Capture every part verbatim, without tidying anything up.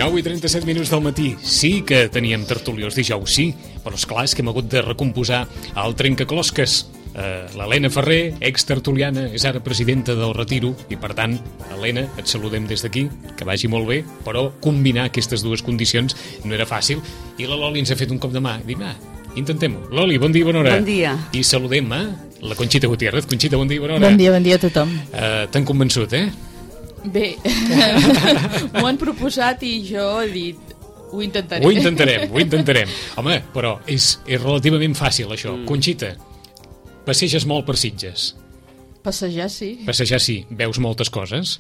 nou i trenta-set minuts del matí. Sí que teníem tertúlia els dijous, sí, però esclar, és que hem hagut de recomposar el trencaclosques. Uh, L'Helena Ferrer, ex-tertuliana, és ara presidenta del Retiro i, per tant, Helena, et saludem des d'aquí, que vagi molt bé, però combinar aquestes dues condicions no era fàcil. I la Loli ens ha fet un cop de mà. Dic, va, intentem-ho. Loli, bon dia i bona hora. Bon dia. I saludem a la Conxita Gutiérrez. Conxita, bon dia i bona hora. Bon dia, bon dia a tothom. Uh, T'han convençut, eh? Bé, m'ho han proposat i jo he dit, ho intentaré. Ho intentarem, ho intentarem. Home, però és, és relativament fàcil, això. Mm. Conxita, passeges molt per Sitges. Passejar, sí. Passejar, sí. Veus moltes coses?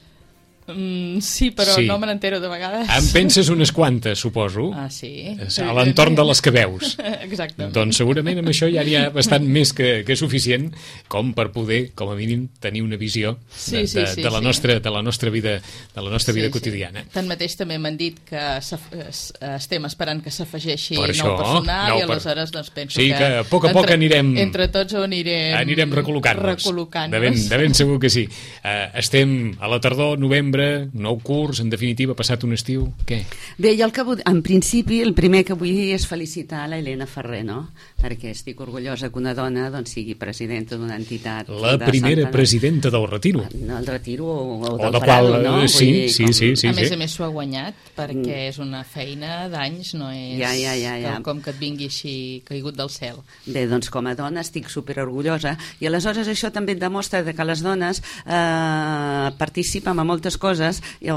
Mm, sí, però Sí. no me n'entero de vegades. En penses unes quantes, suposo? Ah, sí. A l'entorn de les que veus. Exacte. Doncs segurament amb això ja n'hi ha bastant més que, que suficient com per poder, com a mínim, tenir una visió de, Sí, sí, de, sí, de, la, sí. nostra, de la nostra vida, de la nostra vida Sí, sí. quotidiana. Tanmateix també m'han dit que s'af- es- estem esperant que s'afegeixi Per nou això, personal nou i per- aleshores doncs penso Sí, que... que a poc a poc entre, anirem- Entre tots ho anirem... Anirem recol·locant-nos. Recol·locant-nos. De ben, de ben segur que sí. Uh, estem a la tardor, novembre, nou curs, en definitiva, passat un estiu. Què? Bé, jo el que vull, en principi el primer que vull dir és felicitar la Helena Ferrer, no? Perquè estic orgullosa que una dona doncs, sigui presidenta d'una entitat. La de primera Santa- presidenta del Retiro. No, el Retiro o, o O del de Prado, qual, no? eh, sí, Vull dir, sí, com- sí, sí. a més a més s'ho ha guanyat perquè és una feina d'anys, no és Ja, ja, ja, ja. com que et vingui així caigut del cel. Bé, doncs com a dona estic superorgullosa i aleshores això també et demostra que les dones eh, participen en moltes coses o,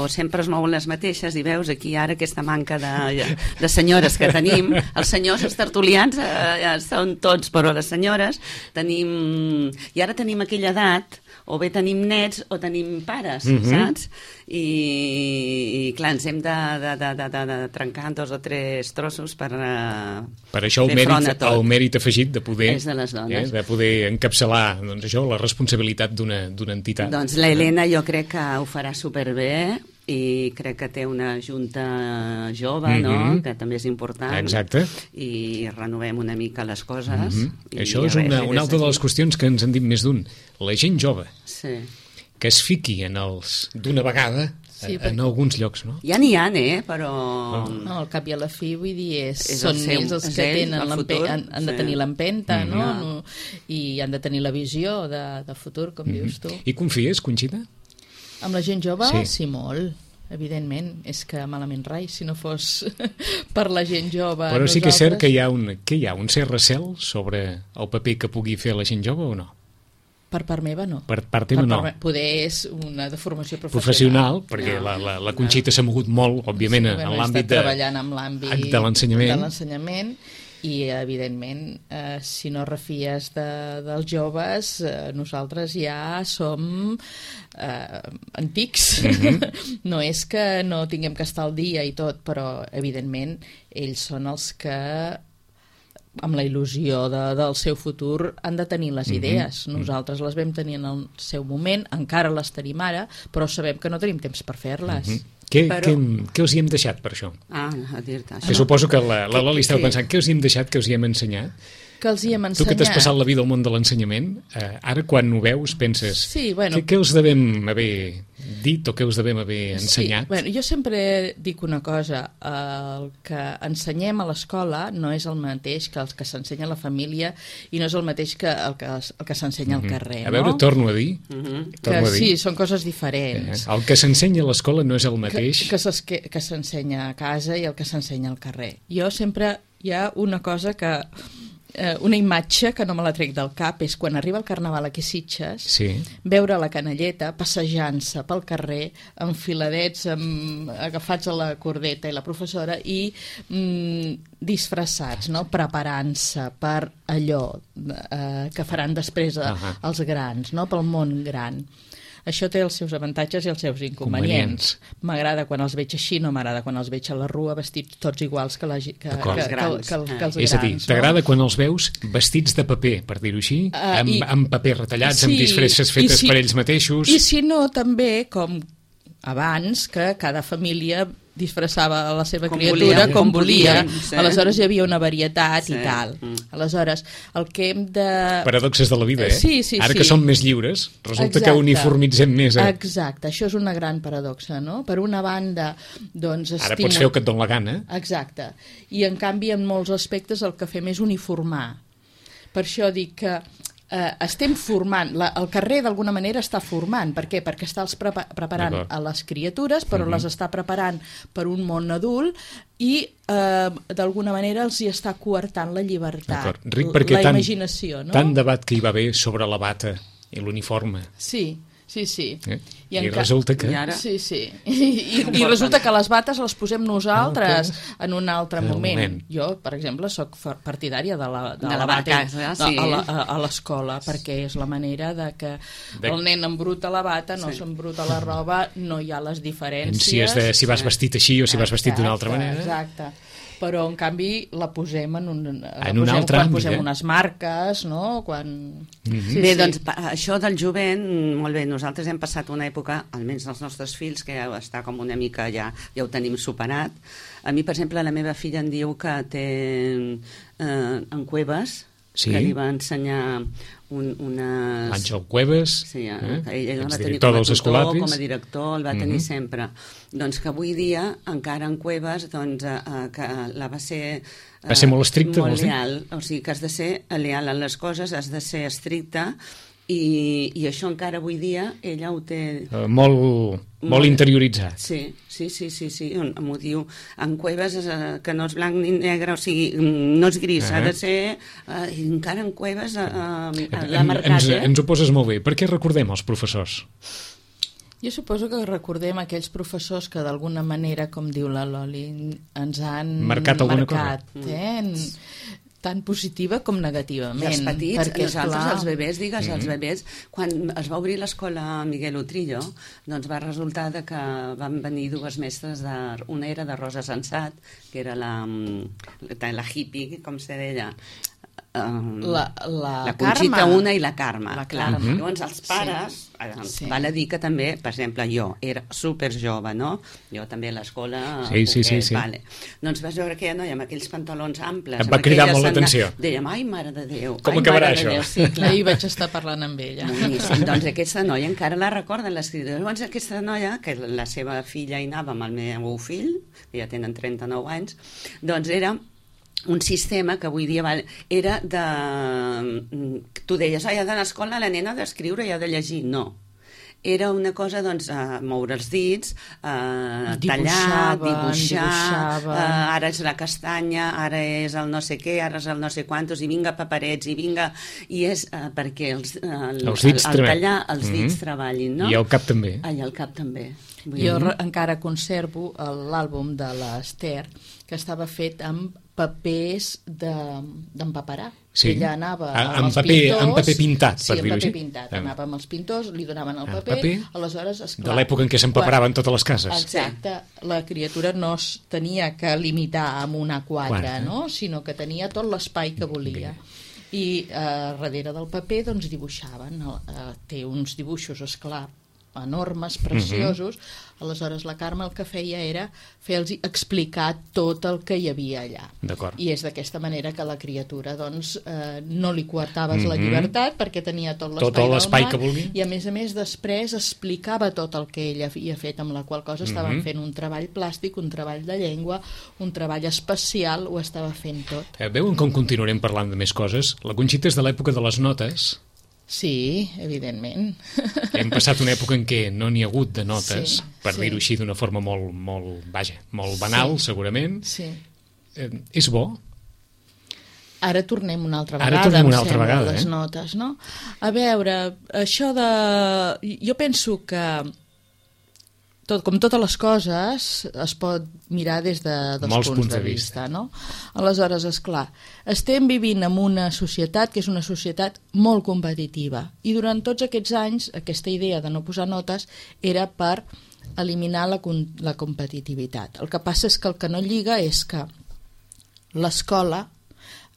o sempre es mouen les mateixes i veus aquí ara aquesta manca de, de senyores que tenim. Els senyors, els tertulians eh, ja són tots, però les senyores tenim... I ara tenim aquella edat o bé tenim nets o tenim pares, Mhm. saps? I, i clar, ens hem de, de, de, de, de, de trencar en dos o tres trossos per... Eh, Per això el fer front a mèrit, tot. el mèrit afegit de poder, És de les dones. eh, de poder encapçalar doncs això, la responsabilitat d'una d'una entitat. Doncs la Helena jo crec que ho farà superbé i crec que té una junta jove, no? Mhm. Que també és important. Exacte. I renovem una mica les coses. Mhm. I Això a és veure una, si una des altra de les d'aquí- qüestions que ens han dit més d'un. La gent jove, Sí. que es fiqui en els d'una vegada Sí, en, perquè- en alguns llocs, no? Ja n'hi ha, eh? Però... No, al cap i a la fi, vull dir, és, És el són seu- ells els és que ell, tenen el l'empe- futur, han, han de sí. tenir l'empenta, Mhm. no? Ja. no? I han de tenir la visió de, de futur, com dius tu. I confies, Conxita? Amb la gent jove, Sí. sí, sí molt. Evidentment, és que malament rai, si no fos per la gent jove. Però sí que és cert nosaltres- que hi ha un, que hi ha un cert recel sobre el paper que pugui fer la gent jove o no? Per part meva, no. Per part teva, Per no. part me- Poder és una deformació Professional, professional. perquè No. la, la, la Conxita s'ha mogut molt, òbviament, Sí, en bueno, he l'àmbit estat de, treballant amb l'àmbit de l'ensenyament. de l'ensenyament i evidentment eh, si no refies de, dels joves eh, nosaltres ja som eh, antics. Mhm. No és que no tinguem que estar al dia i tot, però evidentment ells són els que amb la il·lusió de, del seu futur han de tenir les Mhm. idees. Nosaltres les vam tenir en el seu moment, encara les tenim ara, però sabem que no tenim temps per fer-les. Mhm. Què, Però- què, què els hi hem deixat per això? Ah, a dir-te Que això. suposo que la, la Loli estava què? pensant, què els hi hem deixat, què els hi hem ensenyat? Que els hi hem Tu ensenyat. que t'has passat la vida al món de l'ensenyament, eh, ara quan ho veus penses, Sí, bueno. què, què els devem haver dit o què els devem haver ensenyat? Sí, bueno, jo sempre dic una cosa, el que ensenyem a l'escola no és el mateix que el que s'ensenya a la família i no és el mateix que el que, el que s'ensenya al carrer, Mhm. A veure, no? torno a dir, Mhm. Que torno a dir. sí, són coses Eh, diferents. el que s'ensenya a l'escola no és el mateix. Que, que, s'es- que, que s'ensenya a casa i el que s'ensenya al carrer. Jo sempre hi ha una cosa que... Eh, una imatge que no me la trec del cap és quan arriba el carnaval aquí a Sitges, Sí. veure la canalleta passejant-se pel carrer enfiladets, amb, agafats a la cordeta i la professora i mm, disfressats, no? Preparant-se per allò eh, que faran després eh, Ahà. els grans, no? Pel món gran. Això té els seus avantatges i els seus inconvenients. M'agrada quan els veig així, no m'agrada quan els veig a la rua vestits tots iguals que, la, gi- que, que, D'acord. que, Els grans. que, que, que els És a dir, grans. t'agrada quan els veus vestits de paper, per dir-ho així, Ah, amb, i- amb paper retallats, Sí, amb disfresses i fetes si- per ells mateixos. I si no, també, com abans, que cada família disfressava la seva com criatura volia, com volia, sí. Aleshores hi havia una varietat sí. i tal. Mm. Aleshores, el que hem de... Paradoxes de la vida, eh? Sí, sí, Ara sí. que som més lliures, resulta Exacte. que uniformitzem més. Eh? Exacte, això és una gran paradoxa, no? Per una banda, doncs... Ara estimul... pots fer el que et dona la gana. Exacte. I en canvi, en molts aspectes, el que fem és uniformar. Per això dic que eh, estem formant, la, el carrer d'alguna manera està formant. Per què? Perquè està els prepa preparant a les criatures, però mm-hmm. les està preparant per un món adult i eh, d'alguna manera els hi està coartant la llibertat, Ric, perquè la tant, imaginació. No? Tant debat que hi va haver sobre la bata i l'uniforme. Sí, sí, sí. Eh? I, I resulta que... I ara... Sí, sí. I, i, I resulta que les bates les posem nosaltres okay. en un altre en moment. moment. Jo, per exemple, sóc partidària de la, de de la, la bata bata, sí. a l'escola, perquè és la manera de que de... el nen embruta la bata, no sí. s'embruta la roba, no hi ha les diferències. Si, és de, si vas vestit així o si vas vestit d'una altra manera. Exacte. Però, en canvi, la posem en un, en un posem, altre quan àmbit, posem eh? unes marques, no? Quan... Mm-hmm. sí, bé, sí. doncs, això del jovent, molt bé, nosaltres hem passat una època, almenys els nostres fills, que ja està com una mica, ja, ja ho tenim superat. A mi, per exemple, la meva filla em diu que té eh, en Cuevas, sí? que li va ensenyar un, unes... Àngel Cuevas, sí, eh? eh? ell el va tenir com a tutor, com a director, el va tenir mm-hmm. sempre. Doncs que avui dia, encara en Cuevas, doncs, eh, que la va ser... Eh, va ser molt estricta, molt leal, o sigui que has de ser leal a les coses, has de ser estricta, i, i això encara avui dia ella ho té... Uh, molt, molt, molt interioritzat. Sí, sí, sí, sí, sí. M'ho diu en Cuevas, eh, que no és blanc ni negre, o sigui, no és gris, uh -huh. ha de ser... Eh, encara en Cuevas eh, eh, l'ha marcat, ens, eh? ens ho poses molt bé. Per què recordem els professors? Jo suposo que recordem aquells professors que d'alguna manera, com diu la Loli, ens han marcat alguna marcat, cosa. Eh? Mm. Tant positiva com negativament. I els petits, perquè, nosaltres, clar... els bebès, digues, mm-hmm. els bebès, quan es va obrir l'escola Miguel Utrillo, doncs va resultar de que van venir dues mestres, de, una era de Rosa Sensat, que era la, la hippie, com se deia, Um, la, la, la Conxita Carme. una i la Carme, la clar. Carme. Llavors els pares sí. eh, sí. val a dir que també, per exemple, jo era super jove, no? Jo també a l'escola sí, sí, sí, sí. Vale. Doncs vas veure aquella noia amb aquells pantalons amples, em va cridar molt l'atenció. Dèiem, ai, mare de Déu, com ai, acabarà mare això? de Déu. Sí, clar. Ahir vaig estar parlant amb ella. Boníssim. Doncs aquesta noia encara la recorden les criatures. Llavors aquesta noia, que la seva filla hi anava amb el meu fill, que ja tenen trenta-nou anys, doncs era un sistema que avui dia val, era de... Tu deies, ai, ha d'anar a l'escola, la nena ha d'escriure i ha de llegir. No. Era una cosa, doncs, a moure els dits, a tallar, dibuixar, a, ara és la castanya, ara és el no sé què, ara és el no sé quantos, i vinga paperets, i vinga... I és uh, perquè els, uh, el, els dits el, el tallar els dits mm-hmm. treballin, no? I el cap també. Ah, i el cap també. Jo mm-hmm. encara conservo l'àlbum de l'Ester, que estava fet amb papers d'empaperar. Sí. Ella anava a, amb els paper, pintors... amb paper pintat, sí, per dir-ho així. Sí, amb paper pintat. Anava amb els pintors, li donaven el paper, paper aleshores, esclar... De l'època en què s'empaperaven totes les cases. Exacte. La criatura no es tenia que limitar amb un A quatre, no? Sinó que tenia tot l'espai que volia. Bé. I eh, darrere del paper, doncs, dibuixaven. Eh, té uns dibuixos, esclar, enormes, preciosos. Mm-hmm. Aleshores la Carme el que feia era fer-los explicar tot el que hi havia allà. I és d'aquesta manera que la criatura doncs, eh, no li coartaves mm-hmm. la llibertat perquè tenia tot l'espai que vulgui. I a més a més després explicava tot el que ella havia fet, amb la qual cosa mm-hmm. estaven fent un treball plàstic, un treball de llengua, un treball especial, ho estava fent tot. Eh, veuen com continuarem parlant de més coses? La Conxita és de l'època de les notes. Sí, evidentment. Hem passat una època en què no n'hi ha hagut de notes, sí, per sí. dir-ho així d'una forma molt, molt, vaja, molt banal, sí. segurament. Sí. Eh, és bo? Ara tornem una altra vegada, Ara tornem una altra sembla, vegada, les eh? notes, no? A veure, això de... Jo penso que tot, com totes les coses es pot mirar des de dos Molts punts, punts de, de vista, vista, no? Aleshores, esclar, estem vivint en una societat que és una societat molt competitiva i durant tots aquests anys aquesta idea de no posar notes era per eliminar la, la competitivitat. El que passa és que el que no lliga és que l'escola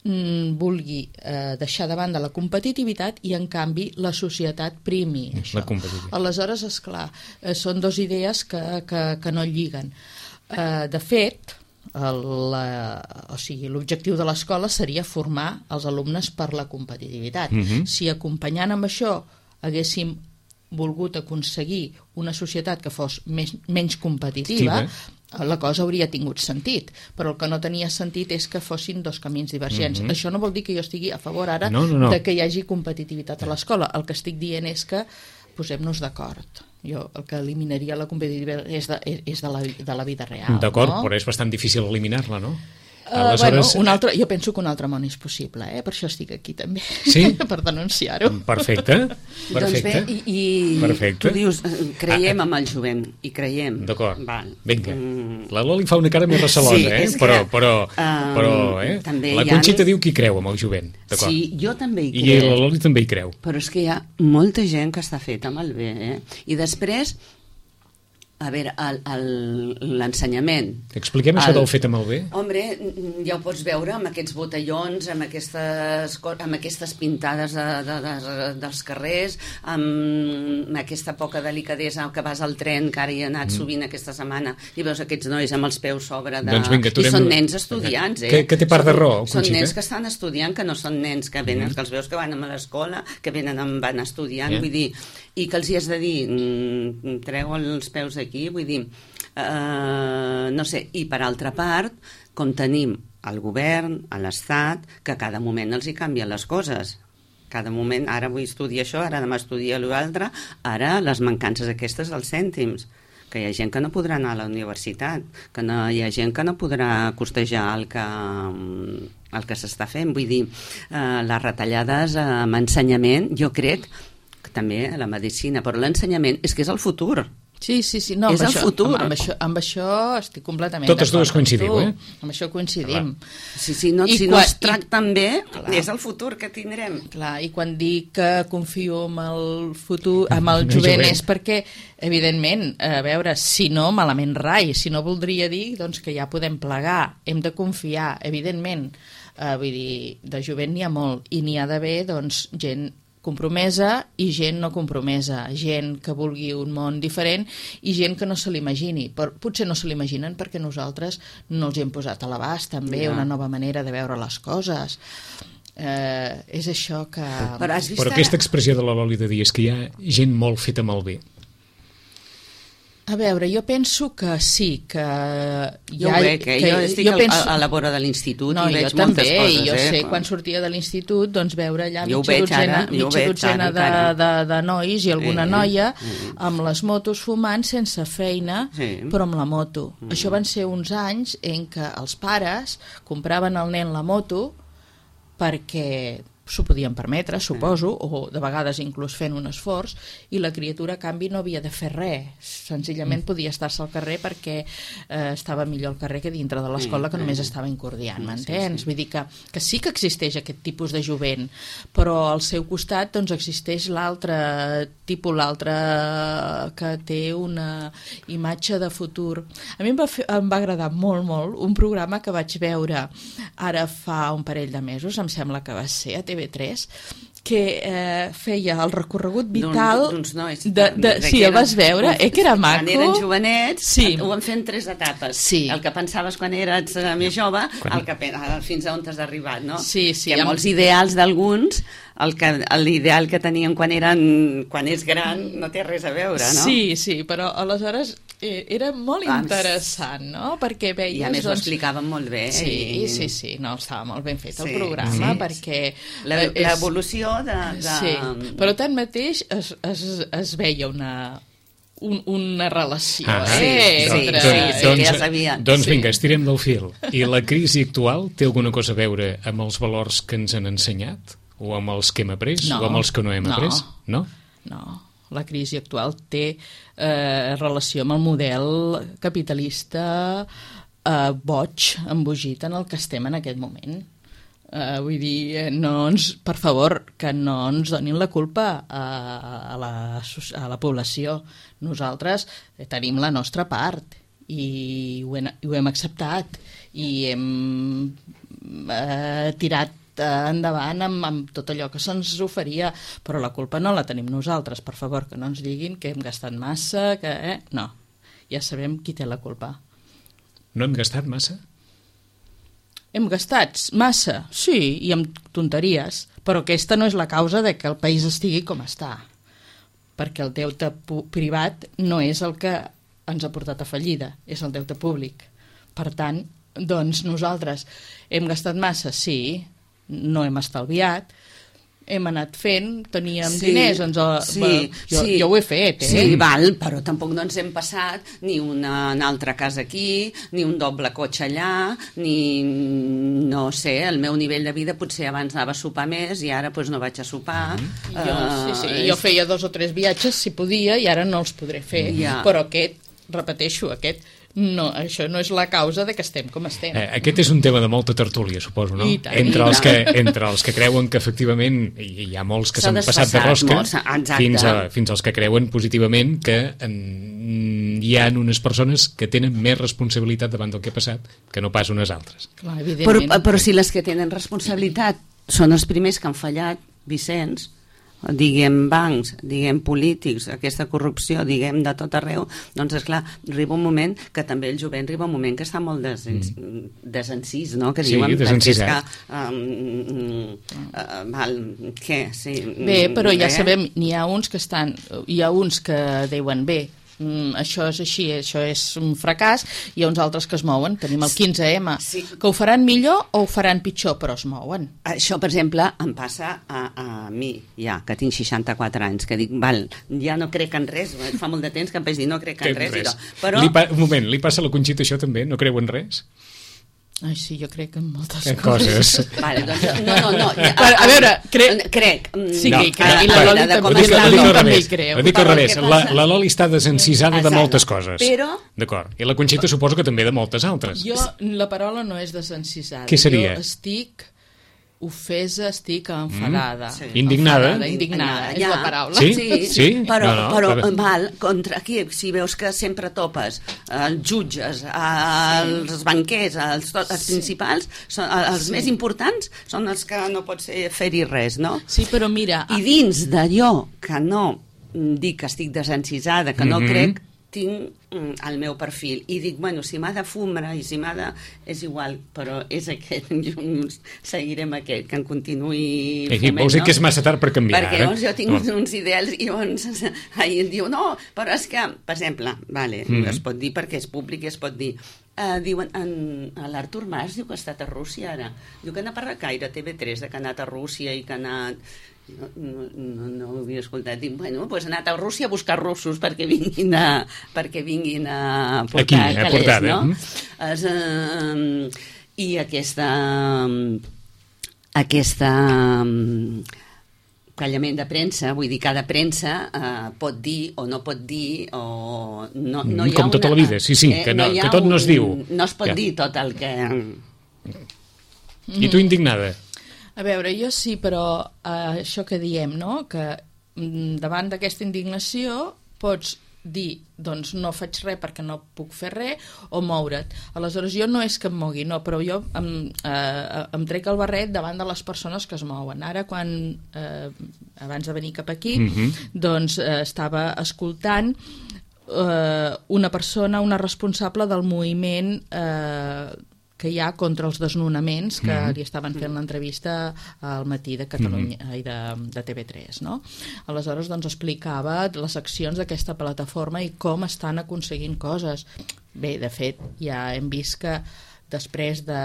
vulgui eh, deixar de banda la competitivitat i en canvi la societat primi això. La competitivitat. Aleshores, esclar, eh, són dues idees que, que, que no lliguen. Eh, de fet, el, la, o sigui, l'objectiu de l'escola seria formar els alumnes per la competitivitat. Uh-huh. Si acompanyant amb això haguéssim volgut aconseguir una societat que fos més, menys competitiva, Estiva. la cosa hauria tingut sentit, però el que no tenia sentit és que fossin dos camins divergents. Uh-huh. Això no vol dir que jo estigui a favor ara no, no, no. de que hi hagi competitivitat a l'escola. El que estic dient és que posem-nos d'acord. Jo el que eliminaria la competitivitat és de, és de, la, de la vida real. D'acord, no? però és bastant difícil eliminar-la, no? Uh, Aleshores... bueno, un altre, jo penso que un altre món és possible, eh? Per això estic aquí també, sí? per denunciar-ho. Perfecte, perfecte. Doncs bé, i, i perfecte. tu dius, creiem ah, amb el jovent, i creiem. D'acord, Val. vinga. Mm. La Loli fa una cara més recelosa, sí, eh? Que, però, però, um, però eh? la Conxita ha... diu que hi creu amb el jovent. Sí, jo també hi crec. I crec. la Loli també hi creu. Però és que hi ha molta gent que està feta amb el bé, eh? I després... A veure, l'ensenyament... Expliquem això el, del fet amb el bé. Home, ja ho pots veure amb aquests botellons, amb aquestes, amb aquestes pintades de, de, de, dels carrers, amb aquesta poca delicadesa que vas al tren, que ara hi he anat mm. sovint aquesta setmana, i veus aquests nois amb els peus sobre de... Doncs vinga, I són nens estudiants, eh? Que, que té part són, de raó, Són Conxita. nens que estan estudiant, que no són nens que venen, mm. que els veus que van a l'escola, que venen van estudiant, yeah. vull dir... I que els hi has de dir, mm, treu els peus d'aquí, vull dir, eh, no sé, i per altra part, com tenim el govern, a l'Estat, que a cada moment els hi canvien les coses. Cada moment, ara vull estudiar això, ara demà estudia l'altre, ara les mancances aquestes dels cèntims, que hi ha gent que no podrà anar a la universitat, que no, hi ha gent que no podrà costejar el que... el que s'està fent, vull dir, eh, les retallades eh, amb ensenyament, jo crec que també a la medicina, però l'ensenyament és que és el futur. Sí, sí, sí, no, és amb el això, futur. Amb, amb, això, amb això estic completament Totes dues coincidiu, eh? Amb això coincidim. Sí, sí, no, si quan, no es tracten bé, clar, és el futur que tindrem. Clar, i quan dic que confio en el futur, amb el jovent, és perquè, evidentment, a veure, si no, malament rai, si no voldria dir doncs, que ja podem plegar, hem de confiar, evidentment. Uh, vull dir, de jovent n'hi ha molt, i n'hi ha d'haver, doncs, gent compromesa i gent no compromesa, gent que vulgui un món diferent i gent que no se l'imagini. Potser no se l'imaginen perquè nosaltres no els hem posat a l'abast també ja. una nova manera de veure les coses. Eh, és això que... Però, Però aquesta expressió de la Loli de dir és que hi ha gent molt feta amb el bé. A veure, jo penso que sí, que... Jo ha, ho veig, eh? que jo estic jo penso... a la vora de l'institut no, i veig també, moltes coses. Jo eh? sé, quan sortia de l'institut, doncs veure allà jo mitja dotzena, ara, mitja dotzena de, de, de nois i alguna eh, noia eh, amb les motos fumant sense feina, sí. però amb la moto. Mm. Això van ser uns anys en què els pares compraven al nen la moto perquè s'ho podien permetre, suposo, o de vegades inclús fent un esforç, i la criatura, a canvi, no havia de fer res. Senzillament podia estar-se al carrer perquè eh, estava millor al carrer que dintre de l'escola, que només estava incordiant, m'entens? Sí, sí. Vull dir que, que sí que existeix aquest tipus de jovent, però al seu costat doncs, existeix l'altre tipus, l'altre que té una imatge de futur. A mi em va, fer, em va agradar molt, molt un programa que vaig veure ara fa un parell de mesos, em sembla que va ser a T V tres, que eh, feia el recorregut vital d'uns nois. De, de, de sí, el vas veure? Eh, que era maco? Quan eren jovenets, sí. ho van fer en tres etapes. Sí. El que pensaves quan eres més jove, quan... el que, fins a on t'has arribat, no? Sí, sí. Hi ha molts ideals d'alguns, l'ideal que tenien quan eren quan és gran no té res a veure, no? Sí, sí, però aleshores eh, era molt interessant, no? Perquè veies... I a més doncs... ho explicaven molt bé. Sí, i... sí, sí, no, estava molt ben fet el sí, programa, sí, perquè... L'evolució de, de... Sí, però tanmateix es, es, es veia una... Un, una relació, ah, eh? Sí, entre... sí, sí, doncs, que ja sabia. Doncs sí. vinga, estirem del fil. I la crisi actual té alguna cosa a veure amb els valors que ens han ensenyat? O amb els que hem après? No, o amb els que no hem no, après? No? No, la crisi actual té eh, relació amb el model capitalista eh, boig, embogit en el que estem en aquest moment. Uh, vull dir, no ens, per favor, que no ens donin la culpa a, a, la, a la població. Nosaltres tenim la nostra part i ho hem, ho hem acceptat i hem uh, tirat endavant amb, amb tot allò que se'ns oferia, però la culpa no la tenim nosaltres, per favor, que no ens diguin que hem gastat massa, que... Eh? No, ja sabem qui té la culpa. No hem gastat massa? Hem gastat massa, sí, i amb tonteries, però aquesta no és la causa de que el país estigui com està, perquè el deute privat no és el que ens ha portat a fallida, és el deute públic. Per tant, doncs nosaltres hem gastat massa, sí, no hem estalviat, hem anat fent, teníem sí, diners, ens el, sí, va, jo, sí, jo ho he fet, eh? Sí, val, però tampoc no ens hem passat ni una, una altra casa aquí, ni un doble cotxe allà, ni, no sé, el meu nivell de vida potser abans anava a sopar més i ara pues, no vaig a sopar. Mm-hmm. jo, sí, sí, uh, jo feia dos o tres viatges si podia i ara no els podré fer, ja. Però aquest, repeteixo, aquest no, això no és la causa de que estem com estem. Eh, aquest és un tema de molta tertúlia, suposo, no? I tant, entre, i els que, entre els que creuen que efectivament hi ha molts que s'han passat de rosca fins, a, fins als que creuen positivament que en, hi ha unes persones que tenen més responsabilitat davant del que ha passat que no pas unes altres. Clar, però, però si les que tenen responsabilitat són els primers que han fallat, Vicenç, diguem bancs, diguem polítics, aquesta corrupció, diguem de tot arreu, doncs esclar, arriba un moment que també el jovent arriba un moment que està molt des, mm. desencís, no? Que sí, diuen, desencisat. Que, um, uh, val, què? Sí, bé, però ja bé. sabem, n'hi ha uns que estan, hi ha uns que diuen, bé, Mm, això és així, això és un fracàs, hi ha uns altres que es mouen, tenim el quinze ema, sí. Que ho faran millor o ho faran pitjor, però es mouen. Això, per exemple, em passa a, a mi, ja, que tinc seixanta-quatre anys, que dic, val, ja no crec en res, fa molt de temps que em vaig dir no crec en res, res. I però... Li pa, un moment, li passa a la Conxita això també? No creu en res? Ai, sí, jo crec en moltes que coses. coses. Vale, doncs, no, no, no. Ja, a, a veure, crec... Crec. Sí, no, que crec. no, I la Loli també hi creu. Ho dic al revés. La, la Loli està desencisada de moltes coses. Però... D'acord. I la Conxita suposo que també de moltes altres. Jo, la paraula no és desencisada. Què seria? Jo estic... ofesa, estic enfadada. Mm. Sí. Indignada. Enfadada, indignada, és ja. la paraula. Sí? Sí, sí? però, no, no, però, però... val, contra aquí, si veus que sempre topes els jutges, els sí. banquers, els, els sí. principals, són, els sí. més importants són els que no pots fer-hi res, no? Sí, però mira... I dins d'allò que no dic que estic desencisada, que no mm-hmm. crec, tinc el meu perfil i dic, bueno, si m'ha de fumar i si m'ha de... és igual, però és aquest, seguirem aquest, que en continuï fumant, vols dir no? que és massa tard per canviar, perquè eh? llavors jo tinc no. uns ideals i llavors ahir em diu, no, però és que, per exemple, vale, mm-hmm. es pot dir perquè és públic i es pot dir, uh, diuen, l'Artur Mas diu que ha estat a Rússia ara, diu que n'ha parlat gaire a T V tres, de que ha anat a Rússia i que ha anat... No, no, no, no ho havia escoltat. Dic, bueno, doncs ha anat a Rússia a buscar russos perquè vinguin a, perquè vinguin a portar aquí, calés, a portar, no? Eh? Es, uh, I aquesta aquesta callament de premsa, vull dir, cada premsa uh, pot dir o no pot dir o no, no hi ha com una, tota la vida, sí, sí, eh, que, no, no que tot un, no es diu. No es pot ja. dir tot el que... I tu indignada? A veure, jo sí, però uh, això que diem, no?, que mm, davant d'aquesta indignació pots dir, doncs no faig res perquè no puc fer res, o moure't. Aleshores, jo no és que em mogui, no, però jo em, eh, em trec el barret davant de les persones que es mouen. Ara, quan, eh, abans de venir cap aquí, mm-hmm. doncs eh, estava escoltant eh, una persona, una responsable del moviment eh, que hi ha contra els desnonaments, que mm-hmm. li estaven fent l'entrevista al matí de Catalunya mm-hmm. i de, de T V tres, no? Aleshores, doncs, explicava les accions d'aquesta plataforma i com estan aconseguint coses. Bé, de fet, ja hem vist que després de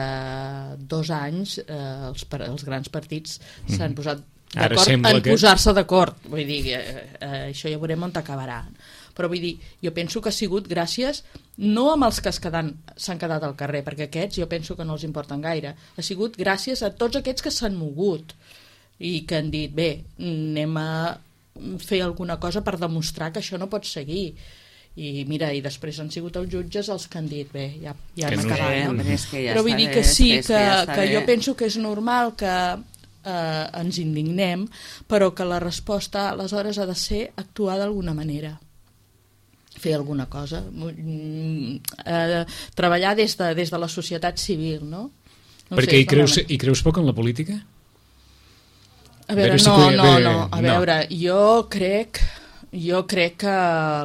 dos anys eh, els, els grans partits mm-hmm. s'han posat d'acord en que... posar-se d'acord. Vull dir, eh, eh, això ja veurem on acabarà. Però vull dir, jo penso que ha sigut gràcies no amb els que s'han quedat al carrer, perquè aquests jo penso que no els importen gaire, ha sigut gràcies a tots aquests que s'han mogut i que han dit, bé, anem a fer alguna cosa per demostrar que això no pot seguir. I mira, i després han sigut els jutges els que han dit, bé, ja, ja hem acabat, no? Ja però vull dir que sí, que, que, ja que jo penso que és normal que eh, ens indignem, però que la resposta aleshores ha de ser actuar d'alguna manera, fer alguna cosa, eh, treballar des de, des de la societat civil, no? no Perquè sé, hi, creus, hi creus poc en la política? A veure, a veure no, si no, bé, no, a no. veure, jo crec jo crec que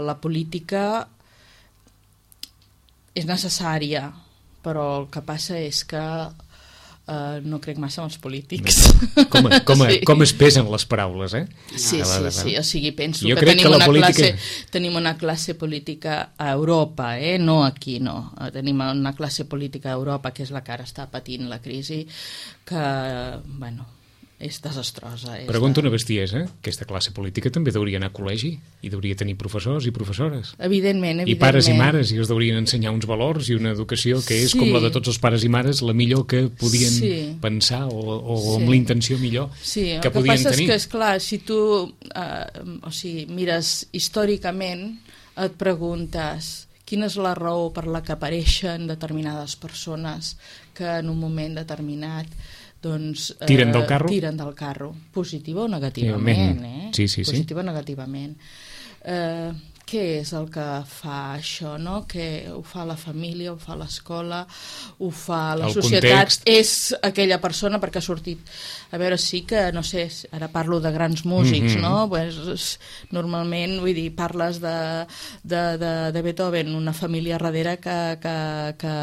la política és necessària, però el que passa és que Uh, no crec massa en els polítics. Com, com, sí. com es pesen les paraules, eh? Sí, sí, sí, o sigui, penso jo que tenim, que una política... classe, tenim una classe política a Europa, eh? No aquí, no. Tenim una classe política a Europa, que és la que ara està patint la crisi, que, bueno, és desastrosa. És Pregunto de... una bestiesa, aquesta classe política també hauria anar a col·legi i hauria tenir professors i professores. Evidentment, evidentment. I pares i mares, i els haurien ensenyar uns valors i una educació que és sí. com la de tots els pares i mares, la millor que podien sí. pensar o, o sí. amb la intenció millor sí, que podien tenir. Sí, el que passa és que, esclar, si tu eh, o sigui, mires històricament, et preguntes quina és la raó per la que apareixen determinades persones que en un moment determinat doncs, eh, tiren del carro? Tiren del carro, positiva o negativament, eh? Sí, sí, sí. Positiva o negativament. Eh, què és el que fa això, no? Que ho fa la família, ho fa l'escola, ho fa la el societat, context. És aquella persona perquè ha sortit, a veure, sí que, no sé, ara parlo de grans músics, mm-hmm. no? Pues, normalment, vull dir, parles de, de, de, de Beethoven, una família darrere que, que, que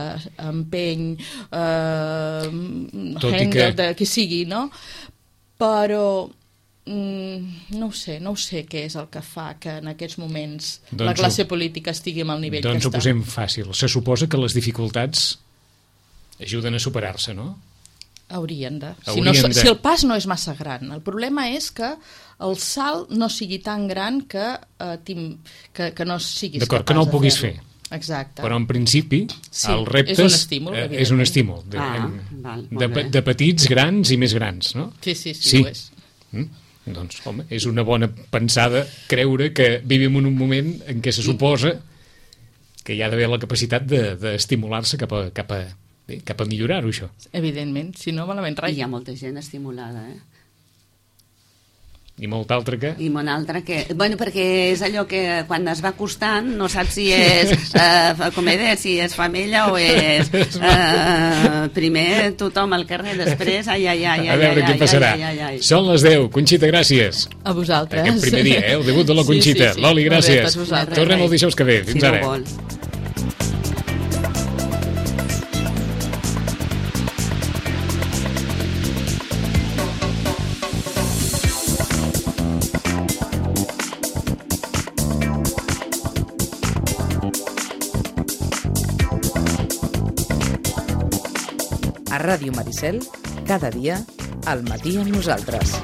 empeny eh, Handel, que... de qui sigui, no? Però Mm, no ho sé, no ho sé què és el que fa que en aquests moments doncs la classe política estigui amb el nivell doncs que està. Doncs ho posem fàcil. Se suposa que les dificultats ajuden a superar-se, no? Haurien de. Haurien si, no, de. Si el pas no és massa gran. El problema és que el salt no sigui tan gran que, eh, que, que no siguis D'acord, capaç que no el puguis fer. fer. Exacte. Però en principi sí, el repte és un estímul, eh, és un estímul de, ah, en, val, de, de petits, grans i més grans, no? Sí, sí, sí, sí. ho és. Mm? Doncs, home, és una bona pensada creure que vivim en un moment en què se suposa que hi ha d'haver la capacitat d'estimular-se de, cap, a, cap, a, bé, cap a millorar-ho, això. Evidentment, si no, malament res. I hi ha molta gent estimulada, eh? I molta altra que... I molta altra que... Bueno, perquè és allò que quan es va acostant no saps si és eh, com he dit, si és femella o és eh, primer tothom al carrer, després ai, ai, ai, ai, a veure ai, què ai, passarà. Ai, ai, ai. Són les deu. Conxita, gràcies. A vosaltres. Aquest primer dia, eh? El debut de la Conxita. Sí, sí, sí. Loli, gràcies. Bé, tornem el dijous que ve. Fins si ara. No vol. A Ràdio Maricel, cada dia, al matí amb nosaltres.